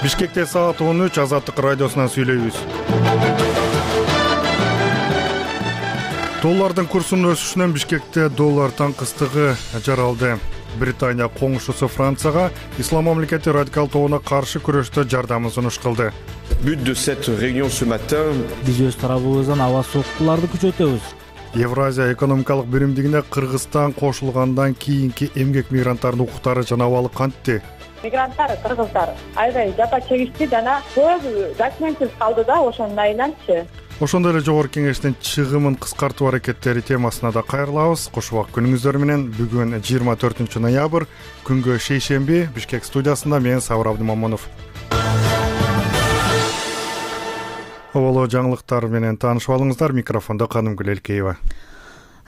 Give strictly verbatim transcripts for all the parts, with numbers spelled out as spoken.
Бишкекте саат он үч, Азаттык радиосунан сүйлөйбүз. Доллардын курсунун өсүшүнөн Бишкекте доллар таңкыстыгы жаралды. Британия коңшусу Францияга Ислам мамлекети радикал тобуна каршы күрөштө жардамын сунуш кылды. But de cette réunion ce matin, биз өз тарабыбыздан аба соккуларды күчөтөбүз. Евразия экономикалык биримдигине Кыргызстан кошулгандан кийинки эмгек мигранттардын укуктары жанабалык кантти? Мигранттар, кыргыздар аябай жапа чегишти жана көбү документсиз калды да, ошонун айынан-чы. Ошондой эле жогорку кеңештин чыгымын кыскартуу аракеттери темасына да кайрылабыз. Кошубак күнүңүздөр менен. Бүгүн жыйырма төртүнчү ноябрь, күнгө шейшемби. Бишкек студиясында мен Сабыр Абдымамонов. Оболо жаңылыктар менен таанышып алыңыздар. Микрофондо Канымгүл Элкеева.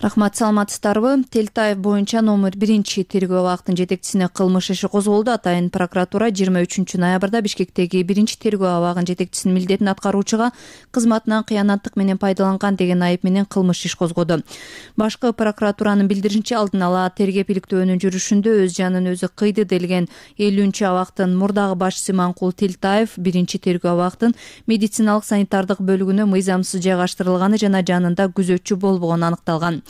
Рахмат, саламатсыздарбы? Телтаев боюнча номер биринчи тергөө абактын жетекчисине кылмыш иши козголду. Атайын прокуратура жыйырма үчүнчү ноябрда Бишкектеги биринчи тергөө абагынын жетекчисинин милдетин аткаруучуга кызматынан кыянаттык менен пайдаланган деген айып менен кылмыш иш козгоду. Башкы прокуратуранын билдиришинче, алдын ала тергеп иликтөөнүн жүрүшүндө өз жанын өзү кыйды делген элүүнчү абактын мурдагы башчысы Иманкул Телтаев биринчи тергөө абактын медициналык санитардык бөлүгүнө мыйзамсыз жайгаштырылганы жана жанында күзөтчү болбогону аныкталган.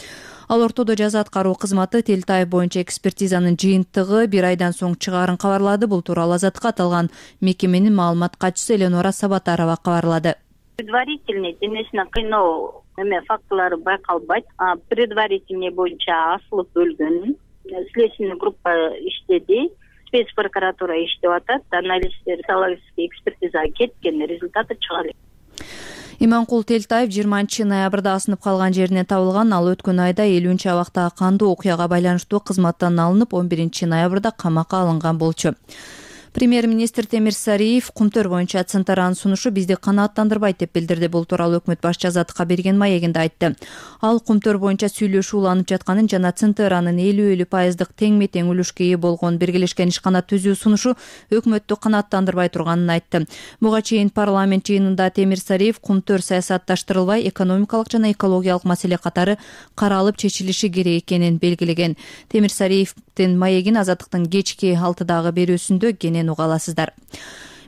Ал ортодо жаза аткаруу кызматы Телтаев боюнча экспертизанын жыйынтыгы бир айдан соң чыгаарын кабарлады. Бул тууралуу Азаттыкка аталган мекеменин маалымат катчысы Эленора Сабатарова кабарлады. Предварительный денесине кыйноо эме фактылары байкалбайт. Предварительный боюнча асылып өлгөн. Следственный группа иштеди. Спецпрокуратура иштеп атат. Анализдер психологический экспертизага кеткен, результаты чыга элек. Иманкул Телтаев жыйырманчы ноябрда асынып калган жеринен табылган. Ал өткөн айда элүүнчү абактагы кандуу окуяга байланыштуу кызматтан алынып, он биринчи ноябрда камакка алынган болчу. Премьер-министр Темир Сариев Кумтөр боюнча Центранын сунушу бизди канааттандырбайт деп билдирди. Бул тууралуу өкмөт башчы Азаттыкка берген маегинде айтты. Ал Кумтөр боюнча сүйлөшүү уланып жатканын жана Центранын элүү элүү пайыздык тең-метең үлүшкө ээ болгон биргелешкен ишкана түзүү сунушу өкмөттү канааттандырбай турганын айтты. Буга чейин парламент жыйынында Темир Сариев Кумтөр саясатташтырылбай, экономикалык жана экологиялык маселе катары каралып чечилиши керек экенин белгилеген. Темир Сариевдин маегин Азаттыктын кечки алтыдагы берүүсүндө кенен уга аласыздар.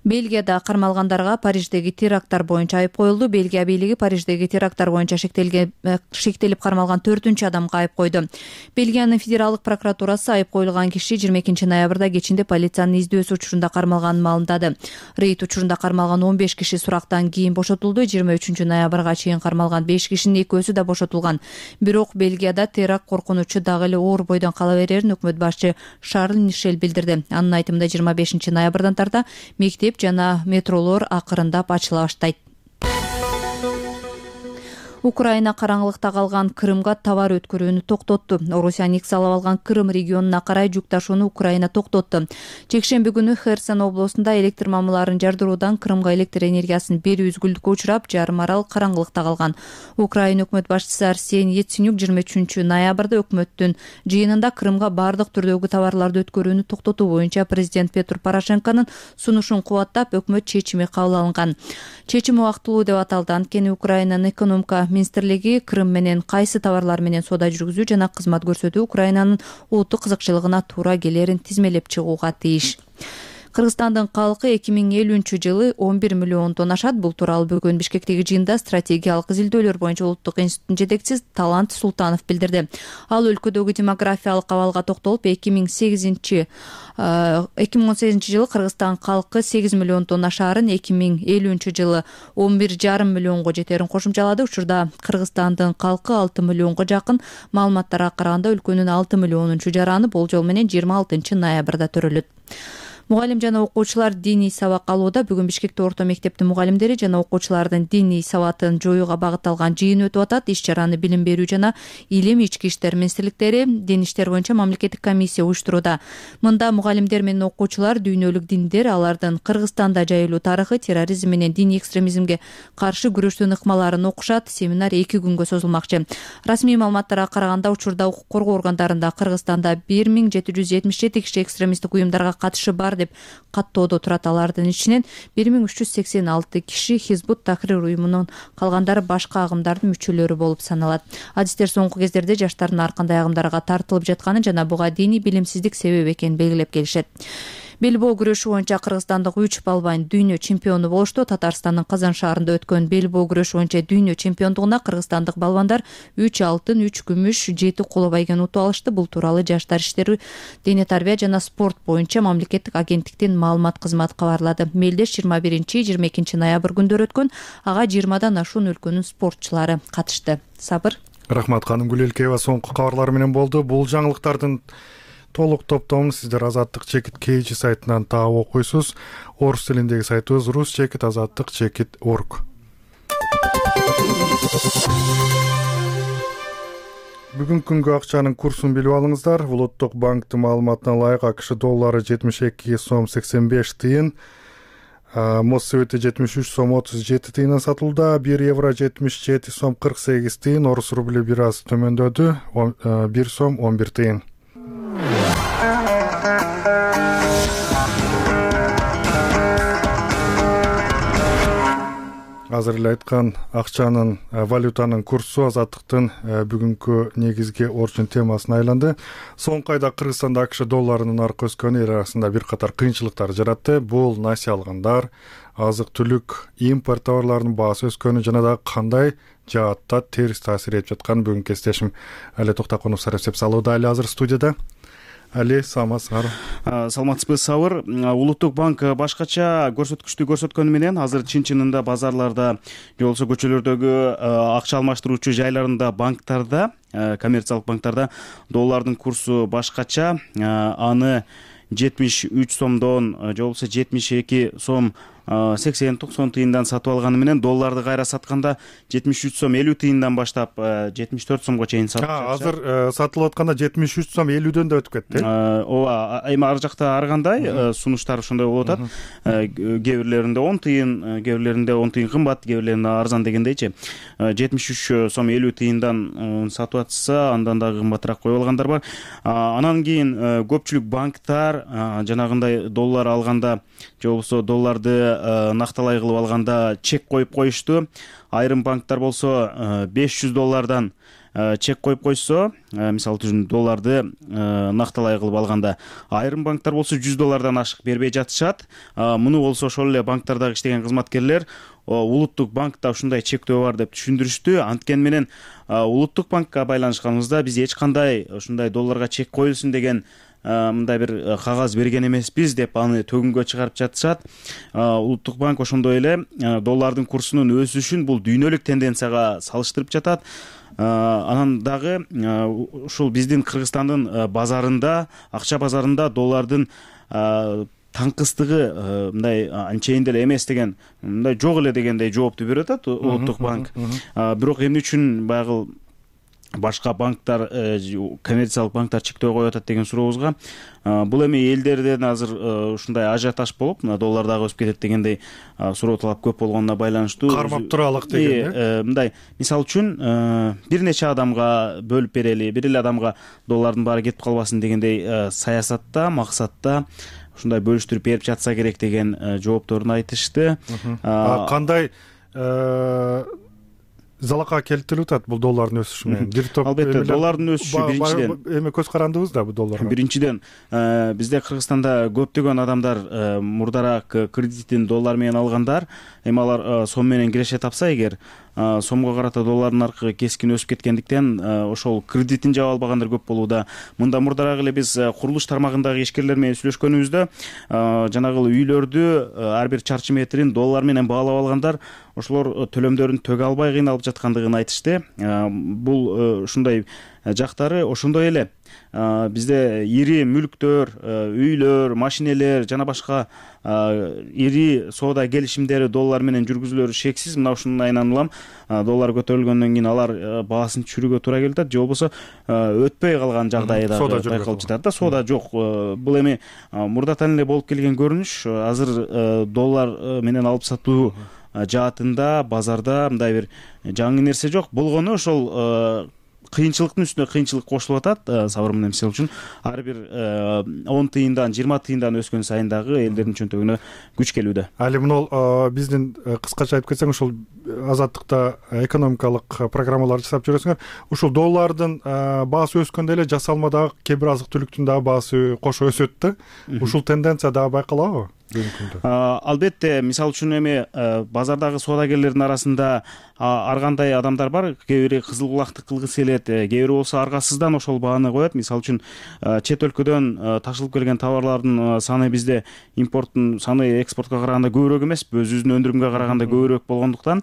Бельгияда кармалгандарга Париждеги теракттар боюнча айып коюлду. Бельгия бийлиги Париждеги теракттар боюнча шектелип кармалган төртүнчү адамга айып койду. Бельгиянын федералдык прокуратурасы айып коюлган киши жыйырма экинчи ноябрда кечинде полициянын издөөсү учурунда кармалганын маалымдады. Рейд учурунда кармалган он беш киши сурактан кийин бошотулду. жыйырма үчүнчү ноябрга чейин кармалган беш кишинин экөөсү да бошотулган. Бирок Бельгияда теракт коркунучу дагы эле оор бойдон кала берерин өкмөт башчы Шарль Мишель билдирди. Анын айтымында жыйырма бешинчи ноябрдан тарта мектеп жана метролор акырындап ачыла баштайт. Украина караңгылыкта калган Крымга товар өткөрүүнү токтотту. Орусия аннексиялап алган Крым регионуна карай жүк ташууну Украина токтотту. Жекшемби күнү Херсон областында электр мамыларын жардыруудан Крымга электр энергиясын берүү үзгүлдүккө учурап, жарым арал караңгылыкта калган. Украина өкмөт башчысы Арсений Яценюк жыйырма үчүнчү ноябрда өкмөттүн жыйынында Крымга бардык түрдөгү товарларды өткөрүүнү токтотуу боюнча президент Петр Порошенконун сунушун кубаттап, өкмөт чечими кабыл алынган. Чечим убактылуу деп аталды. Анткени Украинанын экономика министрлиги Крым менен кайсы товарлар менен соода жүргүзүү жана кызмат көрсөтүү Украинанын улуттук кызыкчылыгына туура келерин тизмелеп чыгууга тийиш. Кыргызстандын калкы эки миң элүүнчү жылы он бир миллиондон ашат. Бул тууралуу бүгүн Бишкектеги жыйында стратегиялык изилдөөлөр боюнча улуттук институттун жетекчиси Талант Султанов билдирди. Ал өлкөдөгү демографиялык абалга токтолуп, эки миң сегизинчи эки миң он сегизинчи жылы Кыргызстан калкы сегиз миллиондон ашаарын, эки миң элүүнчү жылы он бир жарым миллионго жетерин кошумчалады. Учурда Кыргызстандын калкы алты миллионго жакын. Маалыматтарга караганда өлкөнүн алты миллионунчу жараны болжол менен жыйырма алтынчы ноябрда төрөлөт. Мугалим жана окуучулар диний сабак алууда. Бүгүн Бишкекте орто мектептин мугалимдери жана окуучулардын диний сабатын жоюуга багытталган жыйын өтүп атат. Иш-чараны билим берүү жана илим ички иштер министрликтери, дин иштер боюнча мамлекеттик комиссия уюштурууда. Мында мугалимдер менен окуучулар дүйнөлүк диндер, алардын Кыргызстанда жайылуу тарыхы, терроризм менен диний экстремизмге каршы күрөштүн ыкмаларын окушат. Семинар эки күнгө созулмакчы. Расмий маалыматтарга караганда, учурда укук коргоо органдарында Кыргызстанда бир миң жети жүз жетимиш жети киши экстремисттик уюмдарга катышы бар деп каттоодо турат. Алардын ичинен бир миң үч жүз сексен алты киши Хизбут Тахрир уюмунун, калгандары башка агымдардын мүчөлөрү болуп саналат. Адистер соңку кездерде жаштардын ар кандай агымдарга тартылып жатканын жана буга диний билимсиздик себеп экенин белгилеп келишет. Белбоо күрөшү боюнча кыргызстандык үч балбайн дүйнө чемпиону болушту. Татарстандын Казан шаарында өткөн белбоо күрөшү боюнча дүйнө чемпиондугуна кыргызстандык балбандар үч алтын, үч күмүш, жети коло байгени утуп алышты. Бул тууралу Жаштар иштери, дене тарбия жана спорт боюнча мамлекеттик агенттиктин маалымат кызматы кабарлады. Мелдеш жыйырма биринчи жыйырма экинчи ноябрь күндөрү өткөн, ага жыйырмадан ашуун өлкөнүн спортчулары катышты. Сабыр. Рахмат Каным Гүлелкеева соңку кабарлар менен болду. Бул жаңылыктардын толук топтомун сиздер Азаттык чекит kg сайтынан таап окуйсуз. Орус тилиндеги сайтыбыз рус чекит азаттык чекит орг. Бүгүнкү күнгө акчанын курсун билип алыңыздар. Улуттук банктын маалыматына ылайык АКШ доллары жетимиш эки сом сексен беш тыйын, Моссовете жетимиш үч сом отуз жети тыйындан сатылды, бир евро жетимиш жети сом кырк сегиз тыйын, орус рубли бир аз төмөндөдү, бир сом он бир тыйын. Азыр эле айткан акчанын, валютанын курсу Азаттыктын бүгүнкү негизги орчун темасына айланды. Соңку айда Кыргызстанда АКШ долларынын наркы өскөнү эл арасында бир катар кыйынчылыктар жаратты. Бул насия алгандар, азык-түлүк, импорт товарларынын баасы өскөнү жана да кандай жаатта терс таасир этип жаткан бүгүнкү кесиптешим Али Токтокунов сарапчы салууда. Али азыр студияда. Али, саламатсыңар. Саламатсызбы, Сабыр. Улуттук банк башкача көрсөткүчтү көрсөткөнү менен азыр чын-чынында базарларда, же болбосо көчөлөрдөгү акча алмаштыруучу жайларында, банктарда, коммерциялык банктарда доллардын курсу башкача. Аны жетимиш үч сомдон, же болбосо жетимиш эки сом сексен токсон тыйындан сатып алганы менен долларды кайра сатканда жетимиш үч сом элүү тыйындан баштап жетимиш төрт сомго чейин сатып жатышат. Азыр сатылып атканда жетимиш үч сом элүүдөн да өтүп кетти. Ооба, эми ар жакта ар кандай сунуштар ошондой болуп атат. Кээ бирлеринде он тыйын, кээ бирлеринде он тыйын кымбат, кээ бирлеринде арзан дегендейчи. жетимиш үч сом элүү тыйындан сатып атса, андан дагы кымбатыраак коюп алгандар бар. Анан кийин көпчүлүк банктар жанагындай доллар алганда, же болбосо долларды накталай кылып алганда чек коюп коюшту. Айрым банктар болсо беш жүз доллардан чек коюп койсо, мисалы үчүн долларды накталай кылып алганда, айрым банктар болсо жүз доллардан ашык бербей жатышат. Муну болсо ошол эле банктардагы иштеген кызматкерлер улуттук банкта ушундай чектөө бар деп түшүндүрүштү. Анткени менен улуттук банкка байланышканыбызда биз эч кандай ушундай долларга чек коюлсун деген мындай бир кагаз берген эмеспиз деп аны төгүнгө чыгарып жатышат. Улуттук банк ошондой эле доллардын курсунун өсүшүн бул дүйнөлүк тенденцияга салыштырып жатат. Анан дагы ушул биздин Кыргызстандын базарында, акча базарында доллардын таңкыстыгы мындай анчейин деле эмес деген, мындай жок эле дегендей жоопту берип атат улуттук банк. Бирок эмне үчүн баягы башка банктар, коммерциялык банктар чектөө коюп атат деген сурообузга, бул эми элдерден азыр ушундай ажиотаж болуп, доллар дагы өсүп кетет дегендей суроо талап көп болгонуна байланыштуу кармап туралык деген. Мындай, мисалы үчүн бир нече адамга бөлүп берели, бир эле адамга доллардын баары кетип калбасын дегендей саясатта, максатта ушундай бөлүштүрүп берип жатса керек деген жоопторун айтышты. Кандай залакка келтирип атат бул доллардын өсүшү менен? Албетте, доллардын өсүшү биринчиден эми көз карандыбыз да бул долларга. Биринчиден бизде Кыргызстанда көптөгөн адамдар мурдараак кредитин доллар менен алгандар, эми алар сом менен киреше тапса эгер, сомго карата доллардын наркы кескин өсүп кеткендиктен ошол кредитин жаба албагандар көп болууда. Мында мурдараак эле биз курулуш тармагындагы ишкерлер менен сүйлөшкөнүбүздө жанагы элүү ар бир чарчы метрин доллар менен баалап алгандар ошолор төлөмдөрүн төгө албай кыйналып жаткандыгын айтышты. Бул ушундай жактары ошондой эле бизде ири мүлктөр, үйлөр, машинелер жана башка ири соода келишимдери доллар менен жүргүзүлөрү шексиз. Мына ушунун айынан улам доллар көтөрүлгөндөн кийин алар баасын түшүрүүгө туура келип атат, же болбосо өтпөй калган жагдай да байкалып жатат да, соода жок. Бул эми мурдатан эле болуп келген көрүнүш. Азыр доллар менен алып сатуу жаатында базарда мындай бир жаңы нерсе жок болгону, ошол кыйынчылыктын үстүнө кыйынчылык кошулуп атат. Сабыр менен мисалы үчүн ар бир он тыйындан жыйырма тыйындан өскөн сайын дагы элдердин чөнтөгүнө күч келүүдө. Али мына биздин кыскача айтып кетсең, ушул азаттыкта экономикалык программалар жасап жүрөсүңөр. Ушул доллардын баасы өскөндө эле жасалма дагы кээ бир азык түлүктүн дагы баасы кошо өсөт да. Ушул тенденция дагы байкалабы? Албетте, мисалы үчүн эми базардагы соодагерлердин арасында ар кандай адамдар бар. Кээ бири кызыл кулактык кылгысы келет, кээ бири болсо аргасыздан ошол бааны коет. Мисалы үчүн чет өлкөдөн ташылып келген товарлардын саны бизде импорттун саны экспортко караганда көбүрөөк эмес, өзүбүздүн өндүрүмгө караганда көбүрөөк болгондуктан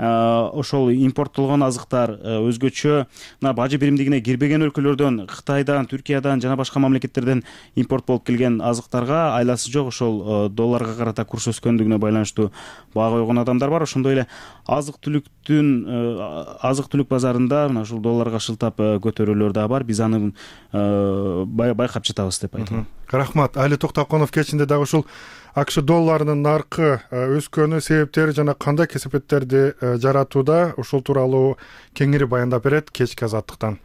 ошол импорттолгон азыктар өзгөчө мына бажы биримдигине кирбеген өлкөлөрдөн, Кытайдан, Түркиядан жана башка мамлекеттерден импорт болуп келген азыктарга айласы жок ошол долларга карата курс өскөндүгүнө байланыштуу баа койгон адамдар бар. Ошондой эле азык түлүктүн азык түлүк базарында мына ушул долларга шылтап көтөрүүлөр дагы бар. Биз аны байкап жатабыз деп айтам. Рахмат. Али Токтоконов кечинде дагы ушул АКШ долларынын наркы өскөнү себептери жана кандай кесепеттерди жаратууда, ушул тууралуу кеңири баяндап берет кечки азаттыктан.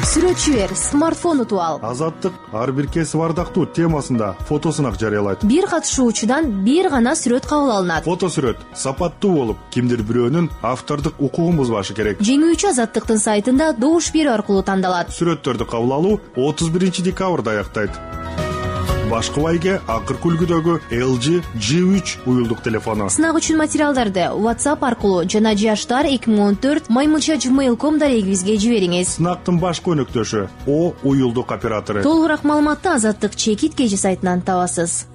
Сүрөтчү бер, смартфон утуп ал. Азаттык ар бир кесип ардактуу темасында фотосунак жарыялайт. Бир катышуучудан бир гана сүрөт кабыл алынат. Фотосүрөт сапаттуу болуп, кимдир бирөөнүн автордук укугун бузбашы керек. Жеңүүчү Азаттыктын сайтында добуш берүү аркылуу тандалат. Сүрөттөрдү кабыл алуу отуз биринчи декабрда аяктайт. Башкы байге акыркы үлгүдөгү эл джи джи үч уюлдук телефону. Сынак үчүн материалдарды WhatsApp аркылуу жана жаштар эки миң он төрт маймылча жимейл точка ком дарегибизге жибериңиз. Сынактын башкы өнөктөшү О уюлдук оператору. Толугураак маалыматты Азаттык чекит кежи сайтынан табасыз.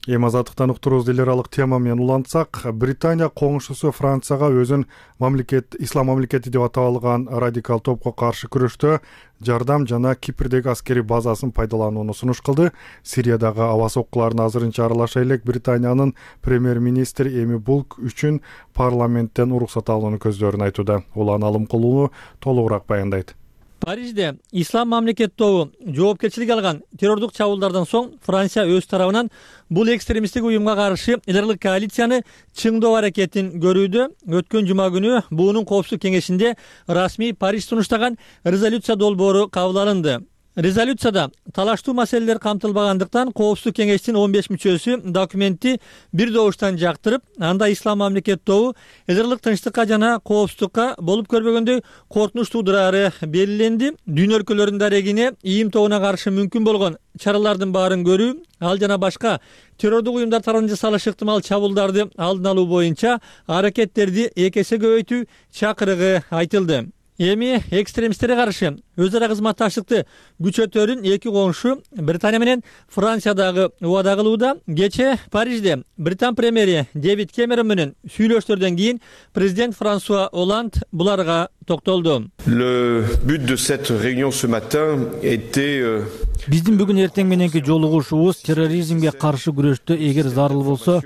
Эми азаттыктан уктуруубузду эл аралык тема менен улантсак, Британия коңшусу Францияга өзүн мамлекет ислам мамлекети деп атап алган радикал топко каршы күрөштө жардам жана Кипрдеги аскерий базасын пайдаланууну сунуш кылды. Сириядагы аба соккуларына азырынча аралаша элек Британиянын премьер-министри Эми Булк үчүн парламенттен уруксат алууну көздөрүн айтууда. Улан алым кылууну толугураак баяндайт. Парижде ислам мамлекет тобу жоопкерчилик алган террордук чабуулдардан соң Франция өз тарабынан бул экстремисттик уюмга каршы эл аралык коалицияны чыңдоо аракетин көрүүдө. Өткөн жума күнү буунун коопсуздук кеңешинде расмий Париж сунуштаган резолюция долбоору кабыл алынды. Резолюцияда талаштуу маселелер камтылбагандыктан коопсуздук кеңештин он беш мүчөсү документти бир добуштан жактырып, анда ислам мамлекет тобу эл аралык тынчтыкка жана коопсуздукка болуп көрбөгөндөй коркунуч туудурары белгиленди. Дүйнө өлкөлөрүнүн дарегине ийим тобуна каршы мүмкүн болгон чаралардын баарын көрүү, ал жана башка террордук уюмдар тарабынан жасалышы ыктымал чабуулдарды алдын алуу боюнча аракеттерди эки эсе көбөйтүү чакырыгы айтылды. Эми экстремисттерге каршы өз ара кызматташтыкты күчөтөрүн эки коңшу Британия менен Франция дагы убада кылууда. Кече Парижде Британ премьери Дэвид Кэмерон менен сүйлөшүүлөрдөн кийин президент Франсуа Оланд буларга токтолду. Le but de cette réunion ce matin était Биздин бүгүн эртең мененки жолугушуубуз терроризмге каршы күрөштө эгер зарыл болсо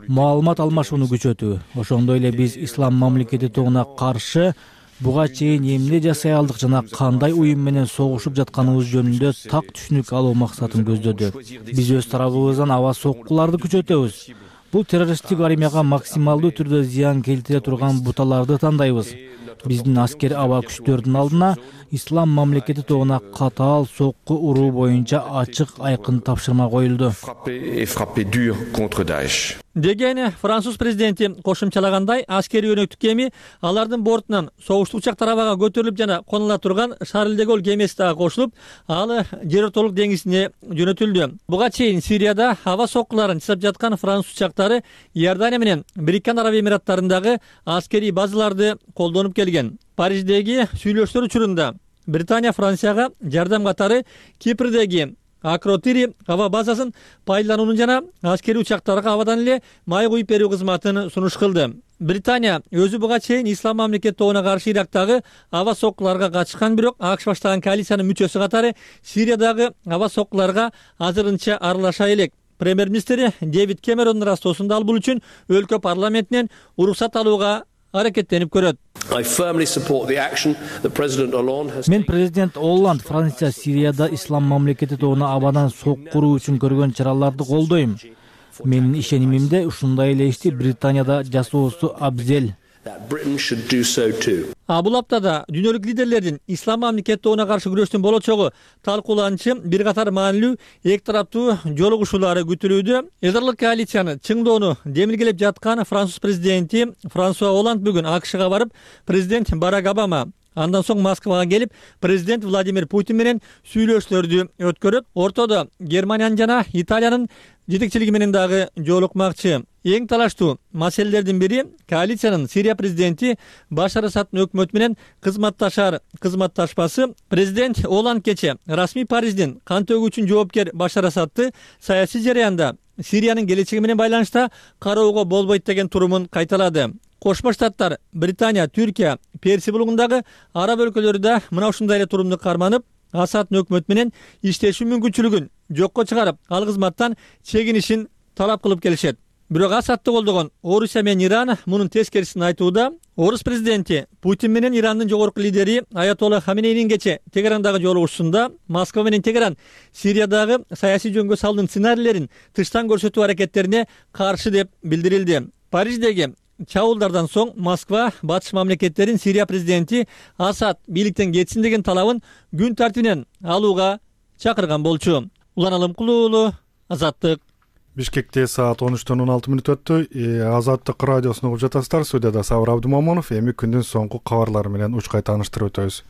маалымат алмашууну күчөтүү. Ошондой эле биз ислам мамлекети тобуна каршы буга чейин эмне жасай алдык жана кандай уюм менен согушуп жатканыбыз жөнүндө так түшүнүк алуу максатын көздөдү. Биз өз тарабыбыздан аба соккуларды күчөтөбүз. Бул террористтик армияга максималдуу түрдө зыян келтире турган буталарды тандайбыз. Биздин аскер аба күчтөрдүн алдына ислам мамлекети тобуна катаал сокку уруу боюнча ачык айкын тапшырма коюлду. Деген француз президенти кошумчалагандай, аскерий өнөктүк кеми алардын бортунан согуштук учактар абага көтөрүлүп жана конула турган Шарль де Голль кемеси дагы кошулуп, ал жер ортолук деңизине жөнөтүлдү. Буга чейин Сирияда аба соккуларын жасап жаткан француз учактары Иордания менен Бириккен Араб Эмираттарындагы аскерий базаларды колдонуп келген. Париждеги сүйлөшүүлөр учурунда Британия Францияга жардам катары Кипрдеги Акротири аба базасын пайдаланууну жана аскерий учактарга абадан эле май куюп берүү кызматын сунуш кылды. Британия өзү буга чейин ислам мамлекет тобуна каршы Ирактагы аба соккуларга катышкан, бирок АКШ баштаган коалициянын мүчөсү катары Сириядагы аба соккуларга азырынча аралаша элек. Премьер-министри Дэвид Кэмерондун растоосунда ал бул үчүн өлкө парламентинен уруксат алууга аракеттенип көрөт. Мен президент Олланд Франция Сирияда ислам мамлекети тобуна абадан соккуруу үчүн көргөн чараларды колдойм. Менин ишенимимде ушундай эле ишти Британияда жасоосу абзел. А бул аптада дүйнөлүк лидерлердин ислам мамлекеттигине каршы күрөштүн болочогу талкууланчы бир катар маанилүү эки тараптуу жолугушуулары күтүлүүдө. Эдерлик коалицияны чыңдоону демилгелеп жаткан француз президенти Франсуа Оланд бүгүн АКШга барып, президент Барак Обама, андан соң Москвага келип, президент Владимир Путин менен сүйлөшүүлөрдү өткөрүп, ортодо Германиянын жана Италиянын жетекчилиги менен дагы жолукмакчы. Эң талаштуу маселелердин бири коалициянын Сирия президенти Башар Асаддын өкмөтү менен кызматташар кызматташпасы. Президент Оланд кече расмий Париждин кан төгүүчүн жоопкер Башар Асадды саясий жараянда Сириянын келечеги менен байланышта кароого болбойт деген турумун кайталады. Кошмо Штаттар, Британия, Түркия, Персия булугундагы араб өлкөлөрү да мына ушундай эле турумду карманып, Асаддын өкмөтү менен иштешүү мүмкүнчүлүгүн жокко чыгарып, ал кызматтан чегинишин талап кылып келишет. Бирок Асадды колдогон Орусия менен Иран мунун тескерисин айтууда. Орус президенти Путин менен Ирандын жогорку лидери Аятолла Хаменейнин кече Тегерандагы жолугушуусунда Москва менен Тегеран Сириядагы саясий жөнгө салуунун сценарийлерин тыштан көрсөтүү аракеттерине каршы деп билдирилди. Париждеги чабуулдардан соң Москва батыш мамлекеттерин Сирия президенти Асад бийликтен кетсин деген талабын күн тартибинен алууга чакырган болчу. Улан Алымкулуу уулу, Азаттык. Бишкекте саат он үчтөн он алты мүнөт өттү. Азаттык радиосун угуп жатасыздар. Студияда Сабыр Абдымомунов. Эми күндүн соңку кабарлары менен учкай тааныштырып өтөбүз.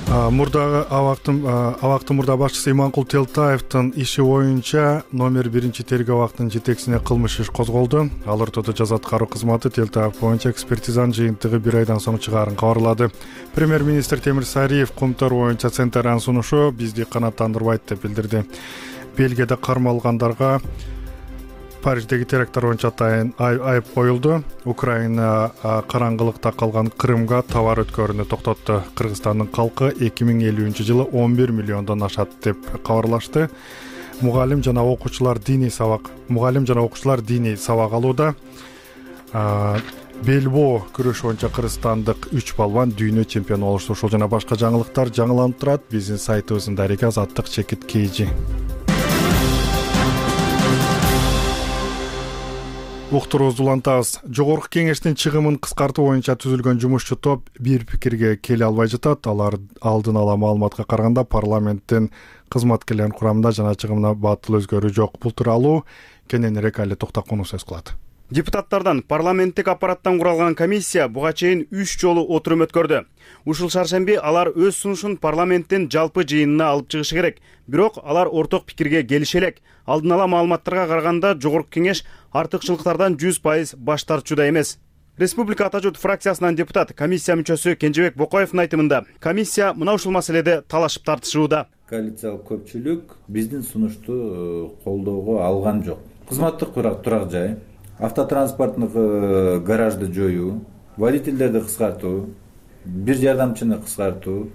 Мурдагы абактын абактын мурда башчысы Иманкул Телтаевдин иши боюнча номер биринчи тергөө абактынын жетекчисине кылмыш иш козголду. Ал ортодо жаза аткаруу кызматы Телтаев боюнча экспертизанын жыйынтыгы бир айдан соң чыгаарын кабарлады. Премьер-министр Темир Сариев кумтар боюнча центрдин сунушу бизди канааттандырбайт деп билдирди. Бельгияда кармалгандарга Париждеги теракттар боюнча атайын айып коюлду. Украина караңгылыкта калган Крымга товар өткөрүүнү токтотту. Кыргызстандын калкы эки миң элүүнчү жылы он бир миллиондон ашат деп кабарлашты. Мугалим жана окуучулар диний сабак мугалим жана окуучулар диний сабак алууда. Белбоо күрөш боюнча кыргызстандык үч балбан дүйнө чемпиону болушту. Ушул жана башка жаңылыктар жаңыланып турат биздин сайтыбыздын дареги Азаттык чекит kg. Уктуруубузду улантабыз. Жогорку кеңештин чыгымын кыскартуу боюнча түзүлгөн жумушчу топ бир пикирге келе албай жатат. Алар алдын ала маалыматка караганда парламенттин кызматкерлеринин курамында жана чыгымына батыл өзгөрүү жок. Бул тууралуу кененирээк Али Токтокунов сөз кылат. Депутаттардан парламенттик аппараттан куралган комиссия буга чейин үч жолу отурум өткөрдү. Ушул шаршемби алар өз сунушун парламенттин жалпы жыйынына алып чыгышы керек. Бирок алар орток пикирге келише элек. Алдын ала маалыматтарга караганда жогорку кеңеш артыкчылыктардан жүз пайыз баш тартуучуда эмес. Республика Ата журт фракциясынан депутат, комиссия мүчөсү Кенжебек Бокоевдин айтымында, комиссия мына ушул маселеде талашып тартышууда. Коалициялык көпчүлүк биздин сунушту колдоого алган жок. Кызматтык турак жай, автотранспорттук гаражды жоюу, водительдерди кыскартуу, бир жардамчыны кыскартуу,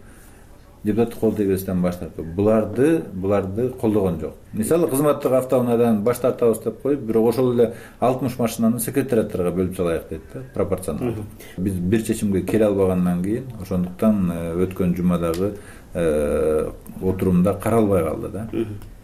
депутаттык кол тийбестен баш тартуу. Буларды, буларды колдогон жок. Мисалы, кызматтык автоунаадан баш тартабыз деп коюп, бирок ошол эле алтымыш машинаны секретариаттарга бөлүп салайык дейт да, пропорционалдуу. Биз бир чечимге келе албагандан кийин, ошондуктан өткөн жумадагы отурумда каралбай калды да.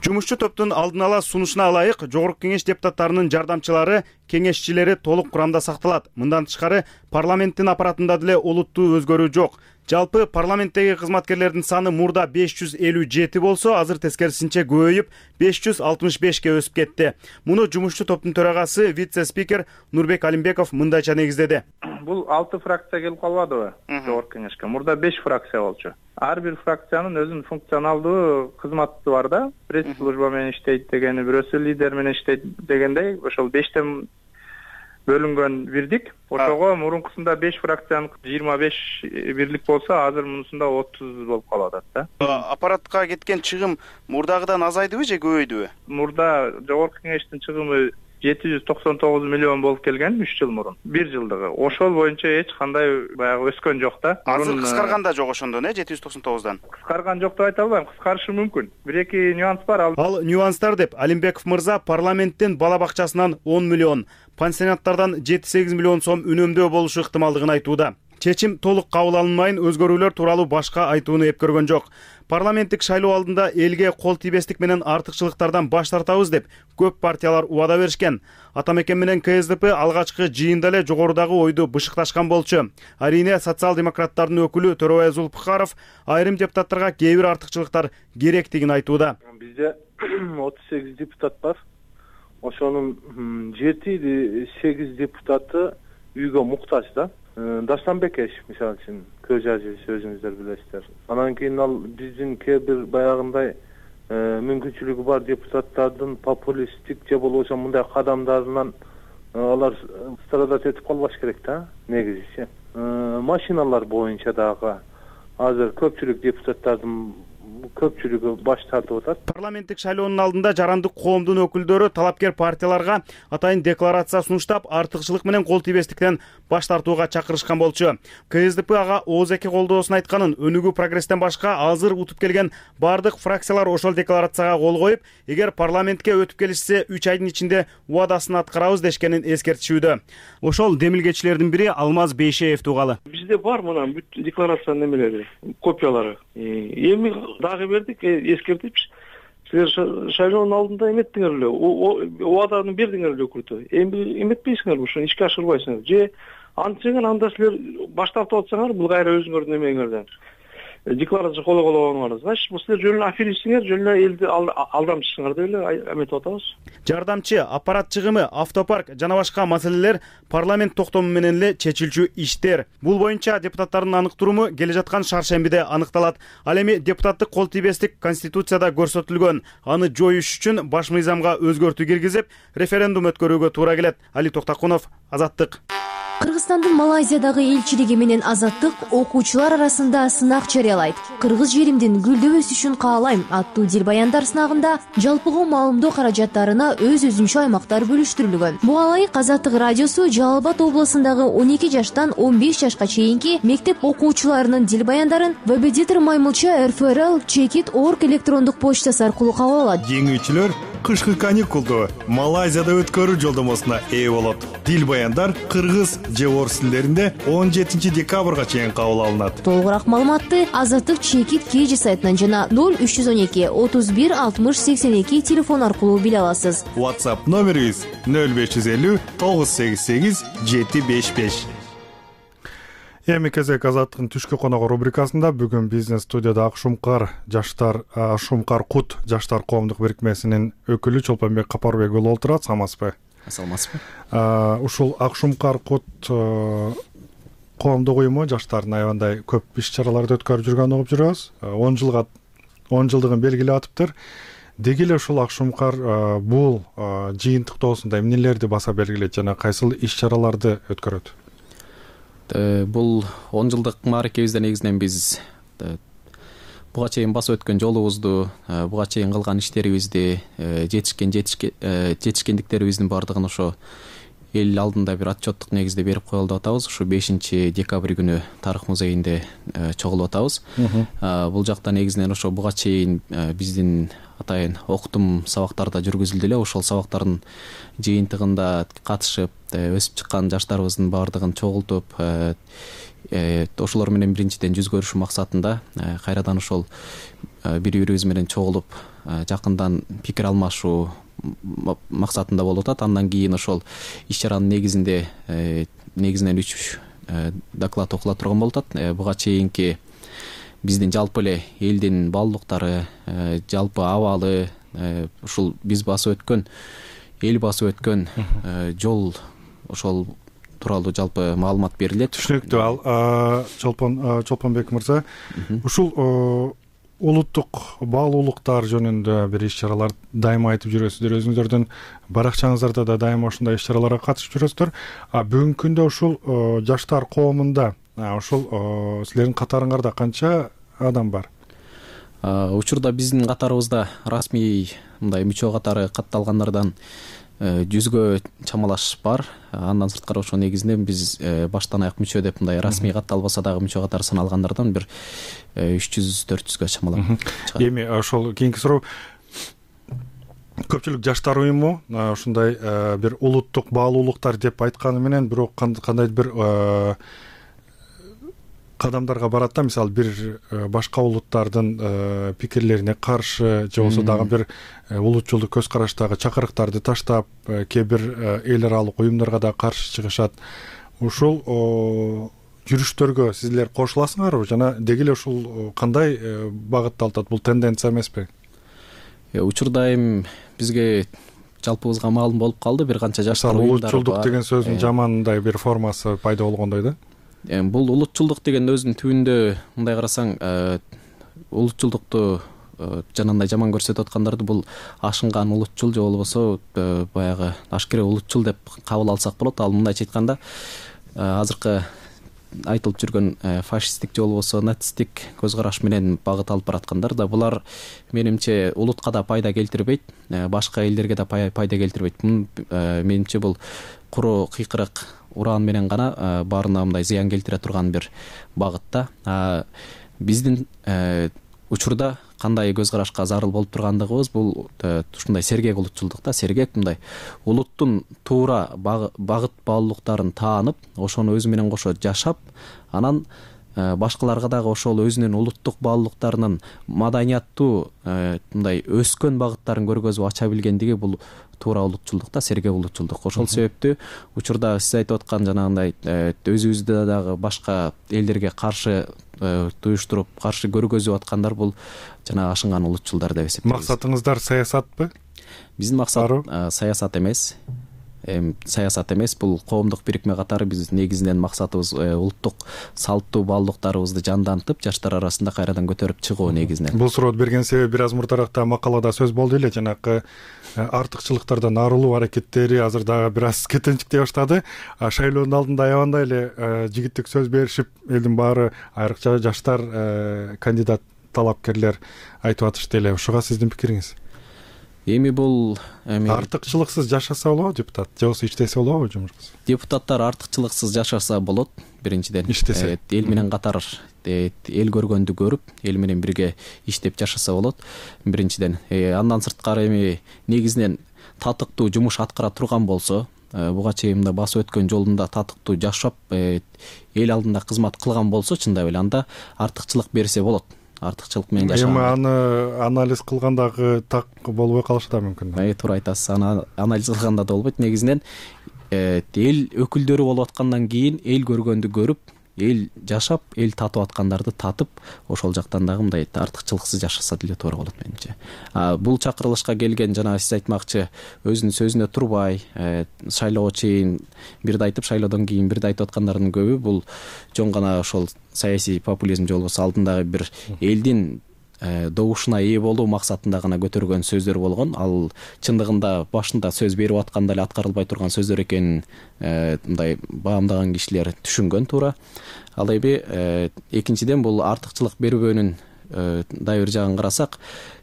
Жумушчу топтун алдын ала сунушуна ылайык жогорку кеңеш депутаттарынын жардамчылары, кеңешчилери толук курамда сакталат. Мындан тышкары парламенттин аппаратында деле олуттуу өзгөрүү жок. Жалпы парламенттеги кызматкерлердин саны мурда беш жүз элүү жети болсо, азыр тескерисинче көбөйүп беш жүз алтымыш бешке өсүп кетти. Муну жумушчу топтун төрагасы, вице-спикер Нурбек Алимбеков мындайча негиздеди. Бул алты фракция келип калбадыбы жогорку кеңешке? Мурда беш фракция болчу. Ар бир фракциянын өзүнүн функционалдуу кызматы бар да. Пресс-служба менен иштейт дегени, бирөөсү лидер менен иштейт дегендей, ошол бештен бөлүнгөн бирдик. Ошого мурункусунда беш фракциянын жыйырма беш бирлик болсо, азыр мунусунда отуз болуп калып атат да. Аппаратка кеткен чыгым мурдагыдан азайдыбы же көбөйдүбү? Мурда жогорку кеңештин чыгымы жети жүз токсон тогуз миллион болуп келген үч жыл мурун. бир жылдыгы. Ошол боюнча эч кандай баягы өскөн жок да. Азыр кыскарган да жок ошондон, э, жети жүз токсон тогуздан. Кыскарган жок деп айта албайм, кыскарышы мүмкүн. Бир-эки нюанс бар. Ал Ал нюанстар деп Алимбеков мырза парламенттин бала бакчасынан он миллион, пансионаттардан жети сегиз миллион сом үнөмдөө болушу ыктымалдыгын айтууда. чечим толук кабыл алынмайын өзгөрүүлөр тууралуу башка айтууну эп көргөн жок. Парламенттик шайлоо алдында элге кол тийбестик менен артыкчылыктардан баш тартабыз деп көп партиялар убада беришкен. Атамекен менен ка эс дэ пэ алгачкы жыйында эле жогорудагы ойду бышыкташкан болчу. Арийне социал-демократтардын өкүлү Төрөбай Зулпукаров айрым депутаттарга кээ бир артыкчылыктар керектигин айтууда. Бизде отуз сегиз депутат бар. Ошонун жети сегиз депутаты үйгө муктаж да. Даштанбек эш мисалы үчүн көз ажыбыз өзүңүздөр билесиздер. Анан кийин ал биздин кээ бир баягындай мүмкүнчүлүгү бар депутаттардын популисттик же болбосо мындай кадамдарынан алар страдать этип калбаш керек да, негизичи. Машиналар боюнча дагы азыр көпчүлүк депутаттардын көпчүлүгү баш тартып атат. Парламенттик шайлоонун алдында жарандык коомдун өкүлдөрү талапкер партияларга атайын декларация сунуштап, артыкчылык менен кол тийбестиктен баш тартууга чакырышкан болчу. ка эс дэ пэ ага ооз эки колдоосун айтканын, өнүгүү прогресстен башка азыр утуп келген бардык фракциялар ошол декларацияга кол коюп, эгер парламентке өтүп келишсе үч айдын ичинде убадасын аткарабыз дешкенин эскертишүүдө. Ошол демилгечилердин бири Алмаз Бейшеев тугалы. Бизде бар мына бүт декларациянын немелери, копиялары. Эми дагы бердик, эскертипчи. Силер шайлоонун алдында эметтиңер эле, убаданы бердиңер эле өкүлдө. Эми эметпейсиңерби, ушуну ишке ашырбайсыңар. Же антсеңер анда силер баш тартып атсаңар, бул кайра өзүңөрдүн эмеңерден декларация коло колгонуңар. Значит, бул силер жөн эле аферистсиңер, жөн эле элди алдамчысыңар деп эле эметип атабыз. Жардамчы, аппарат чыгымы, автопарк жана башка маселелер парламент токтому менен эле чечилчү иштер. Бул боюнча депутаттардын аныктыруму келе жаткан шаршембиде аныкталат. Ал эми депутаттык кол тийбестик конституцияда көрсөтүлгөн. Аны жоюш үчүн баш мыйзамга өзгөртүү киргизип, референдум өткөрүүгө туура келет. Али Токтакунов, Азаттык. Кыргызстандын Малайзиядагы элчилиги менен Азаттык окуучулар арасында сынак жарыялайт. Кыргыз жеримдин гүлдөп өсүшүн каалайм аттуу дил баяндар сынагында жалпыга маалымдоо каражаттарына өз өзүнчө аймактар бөлүштүрүлгөн. Буга ылайык Азаттык радиосу Жалал Абад облусундагы он эки жаштан он беш жашка чейинки мектеп окуучуларынын дил баяндарын Вебедитор Маймылча эр эф эр эл чекит точка орг электрондук почтасы аркылуу кабыл алат. Жеңүүчүлөр кышкы каникулду Малайзияда өткөрүү жолдомосуна ээ болот. Дил баяндар кыргыз же орус тилдеринде он жетинчи декабрга чейин кабыл алынат. Толугураак маалыматты Азаттык чекит кж сайтынан жана ноль үч жүз он эки отуз бир алтымыш сексен эки телефон аркылуу биле аласыз. WhatsApp номерибиз ноль беш жүз элүү тогуз сегиз сегиз жети беш беш. Эми кезек Азаттыктын түшкү коногу рубрикасында бүгүн бизнес студияда Акшумкар жаштар Акшумкар Кут жаштар коомдук бирикмесинин өкүлү Чолпонбек Капарбек уулу отурат. Саламатсызбы? Саламатсызбы. Ушул Акшумкар Кут коомдук уюму жаштардын аябандай көп иш-чараларды өткөрүп жүргөнүн угуп жүрөбүз. он жылга он жылдыгын белгилеп атыптыр. Деги эле ушул Акшумкар бул жыйынтыктоосунда эмнелерди баса белгилейт жана кайсыл иш-чараларды өткөрөт? Бул он жылдык мааракебизде негизинен биз буга чейин басып өткөн жолубузду, буга чейин кылган иштерибизди, жетишкен жетишкендиктерибиздин баардыгын ошо эл алдында бир отчеттук негизде берип коелу деп атабыз. Ушу бешинчи декабрь күнү Тарых музейинде чогулуп атабыз. Бул жакта негизинен ошо буга чейин биздин атайын окутум сабактарда жүргүзүлдү эле. Ошол сабактардын жыйынтыгында катышып, өсүп чыккан жаштарыбыздын баардыгын чогултуп, ошолор менен биринчиден жүз көрүшүү максатында кайрадан ошол бири бирибиз менен чогулуп, жакындан пикир алмашуу максатында болуп атат. Андан кийин ошол иш-чаранын негизинде негизинен үч доклад окула турган болуп атат. Буга чейинки биздин жалпы эле элдин баалуулуктары, жалпы абалы, ушул биз басып өткөн, эл басып өткөн жол ошол тууралуу жалпы маалымат берилет. Түшүнүктүү. Ал Чолпон Чолпонбек мырза, ушул улуттук баалуулуктар жөнүндө бир иш-чаралар дайыма айтып жүрөсүздөр. Өзүңүздөрдүн баракчаңыздарда да дайыма ушундай иш-чараларга катышып жүрөсүздөр. А бүгүнкү күндө ушул жаштар коомунда ушул силердин катарыңарда канча адам бар? Учурда биздин катарыбызда расмий мындай мүчө катары катталгандардан жүзгө чамалаш бар. Андан сырткары ошо негизинен биз баштан аяк мүчө деп мындай расмий катталбаса дагы мүчө катары саналгандардан бир үч жүз төрт жүзгө чамалап. Эми ошол кийинки суроо, көпчүлүк жаштар уюму ушундай бир улуттук баалуулуктар деп айтканы менен бирок кандайдыр бир кадамдарга барат да, мисалы бир башка улуттардын пикирлерине каршы же болбосо дагы бир улутчулдук көз караштагы чакырыктарды таштап кээ бир эл аралык уюмдарга да каршы чыгышат. Ушул жүрүштөргө силер кошуласыңарбы жана деги эле ушул кандай багытта алат? Бул тенденция эмеспи? Учурда эми бизге жалпыбызга маалым болуп калды, бир канча жаштар уюмдары бар. Улутчулдук деген сөздүн жамандай бир формасы пайда болгондой да. Бул улутчулдук деген өзүнүн түбүндө мындай карасаң, улутчулдукту жанагындай жаман көрсөтүп аткандарды бул ашынган улутчул же болбосо баягы ашкере улутчул деп кабыл алсак болот. Ал мындайча айтканда, азыркы айтылып жүргөн фашисттик же болбосо нацисттик көз караш менен багыт алып бараткандар да, булар менимче улутка да пайда келтирбейт, башка элдерге да пайда келтирбейт. Менимче бул куру кыйкырык уран менен гана баарына мындай зыян келтире турган бир багыт да. Биздин учурда кандай көз карашка зарыл болуп тургандыгыбыз бул ушундай сергек улутчулдук да. Сергек мындай улуттун туура багыт баалуулуктарын таанып, ошону өзү менен кошо жашап, анан башкаларга дагы ошол өзүнүн улуттук баалуулуктарынын маданияттуу мындай өскөн багыттарын көргөзүп ача билгендиги бул туура улутчулдук да, сергек улутчулдук. Ошол себептүү учурда сиз айтып аткан жанагындай өзүбүздө дагы башка элдерге каршы туюштуруп, каршы көргөзүп аткандар бул жана ашынган улутчулдар деп эсептейбиз. Максатыңыздар саясатпы? Биздин максат саясат эмес. Саясат эмес, бул коомдук бирикме катары биз негизинен максатыбыз улуттук салттуу баалуулуктарыбызды жандантып, жаштар арасында кайрадан көтөрүп чыгуу негизинен. Бул сурооду берген себеби бир аз мурдаракта макалада сөз болду эле, жанакы артыкчылыктардан арылуу аракеттери азыр дагы бир аз кетенчиктей баштады. Шайлоонун алдында аябандай эле жигиттик сөз беришип, элдин баары, айрыкча жаштар кандидат талапкерлер айтып атышты эле. Ушуга сиздин пикириңиз? Эми бул артыкчылыксыз жашаса болобу депутат, же болбосо иштесе болобу жумушкасы? Депутаттар артыкчылыксыз жашаса болот, биринчиден. Иштесе. Эл менен катар эл көргөндү көрүп, эл менен бирге иштеп жашаса болот, биринчиден. Андан сырткары эми негизинен татыктуу жумуш аткара турган болсо, буга чейин да басып өткөн жолунда татыктуу жашап, эл алдында кызмат кылган болсо, чындап эле анда артыкчылык берсе болот. Артыкчылык менен жашаган. Эми аны анализ кылгандагы так болбой калышы да мүмкүн. Э, туура айтасыз. Аны анализ кылганда да болбойт. Негизинен эл өкүлдөрү болуп аткандан кийин эл көргөндү көрүп, эл жашап, эл татып аткандарды татып, ошол жактан дагы мындай артыкчылыксыз жашаса деле туура болот менимче. Бул чакырылышка келген жана сиз айтмакчы өзүнүн сөзүнө турбай, шайлоого чейин бирди айтып, шайлоодон кийин бирди айтып аткандардын көбү бул жон гана ошол саясий популизм же болбосо алдындагы бир элдин добушуна ээ болуу максатында гана көтөргөн сөздөр болгон. Ал чындыгында башында сөз берип атканда эле аткарылбай турган сөздөр экенин мындай баамдаган кишилер түшүнгөн туура. Ал эми экинчиден бул артыкчылык бербөөнүн дагы бир жагын карасак,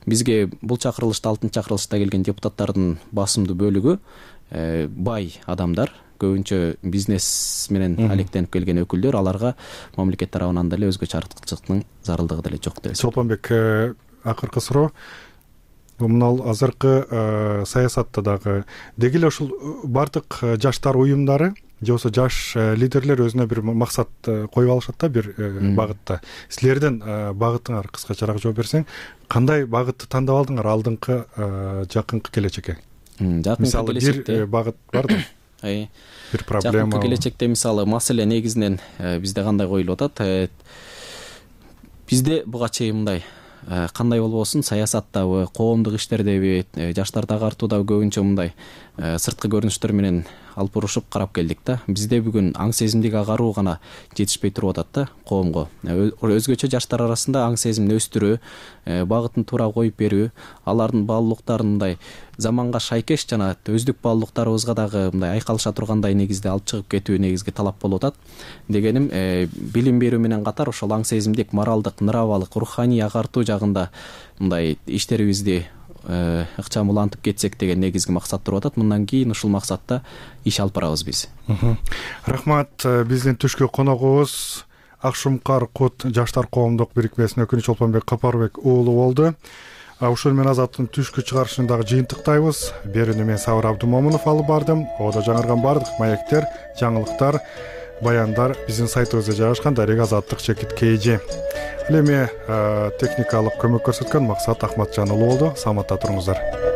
бизге бул чакырылышта, алтынчы чакырылышта келген депутаттардын басымдуу бөлүгү бай адамдар, көбүнчө бизнес менен алектенип келген өкүлдөр, аларга мамлекет тарабынан деле өзгөчө артыкчылыктын зарылдыгы деле жок деп эсептейм. Чолпонбек, акыркы суроо. Мына азыркы саясатта дагы деги эле ушул бардык жаштар уюмдары же болбосо жаш лидерлер өзүнө бир максат коюп алышат да, бир багытта. Силердин багытыңар кыскачараак жооп берсең, кандай багытты тандап алдыңар алдыңкы жакынкы келечекке? Жакынкы келечекте бир багыт бар да. Бир проблема. Жакынкы келечекте мисалы маселе негизинен бизде кандай коюлуп атат? Бизде буга чейин мындай кандай болбосун, саясаттабы, коомдук иштердеби, жаштарды агартуудагы көбүнчө мындай сырткы көрүнүштөр менен алып бурушуп карап келдик да. Бизде бүгүн аң сезимдик агаруу гана жетишпей туруп атат да коомго. Өзгөчө жаштар арасында аң сезимин өстүрүү, багытын туура коюп берүү, алардын баалуулуктарын мындай заманга шайкеш жана өздүк баалуулуктарыбызга дагы мындай айкалыша тургандай негизде алып чыгып кетүү негизги талап болуп атат. Дегеним, билим берүү менен катар ошол аң сезимдик, моралдык, нравалык, руханий агартуу жагында мындай иштерибизди ыкчам улантып кетсек деген негизги максат туруп атат. Мындан кийин ушул максатта иш алып барабыз биз. Рахмат. Биздин түшкү коногубуз Акшумкар Кут жаштар коомдук бирикмесинин өкүлү Чолпонбек Капарбек уулу болду. Ушул менен Азаттын түшкү чыгарышын дагы жыйынтыктайбыз. Берүүнү мен Сабыр Абдумомунов алып бардым. Оодо жаңырган бардык маектер, жаңылыктар баяндар биздин сайтыбызда жайгашкан. Дарек Азаттык чекит kg. Ал эми техникалык көмөк көрсөткөн Максат Ахматжан уулу болду. Саламатта туруңуздар.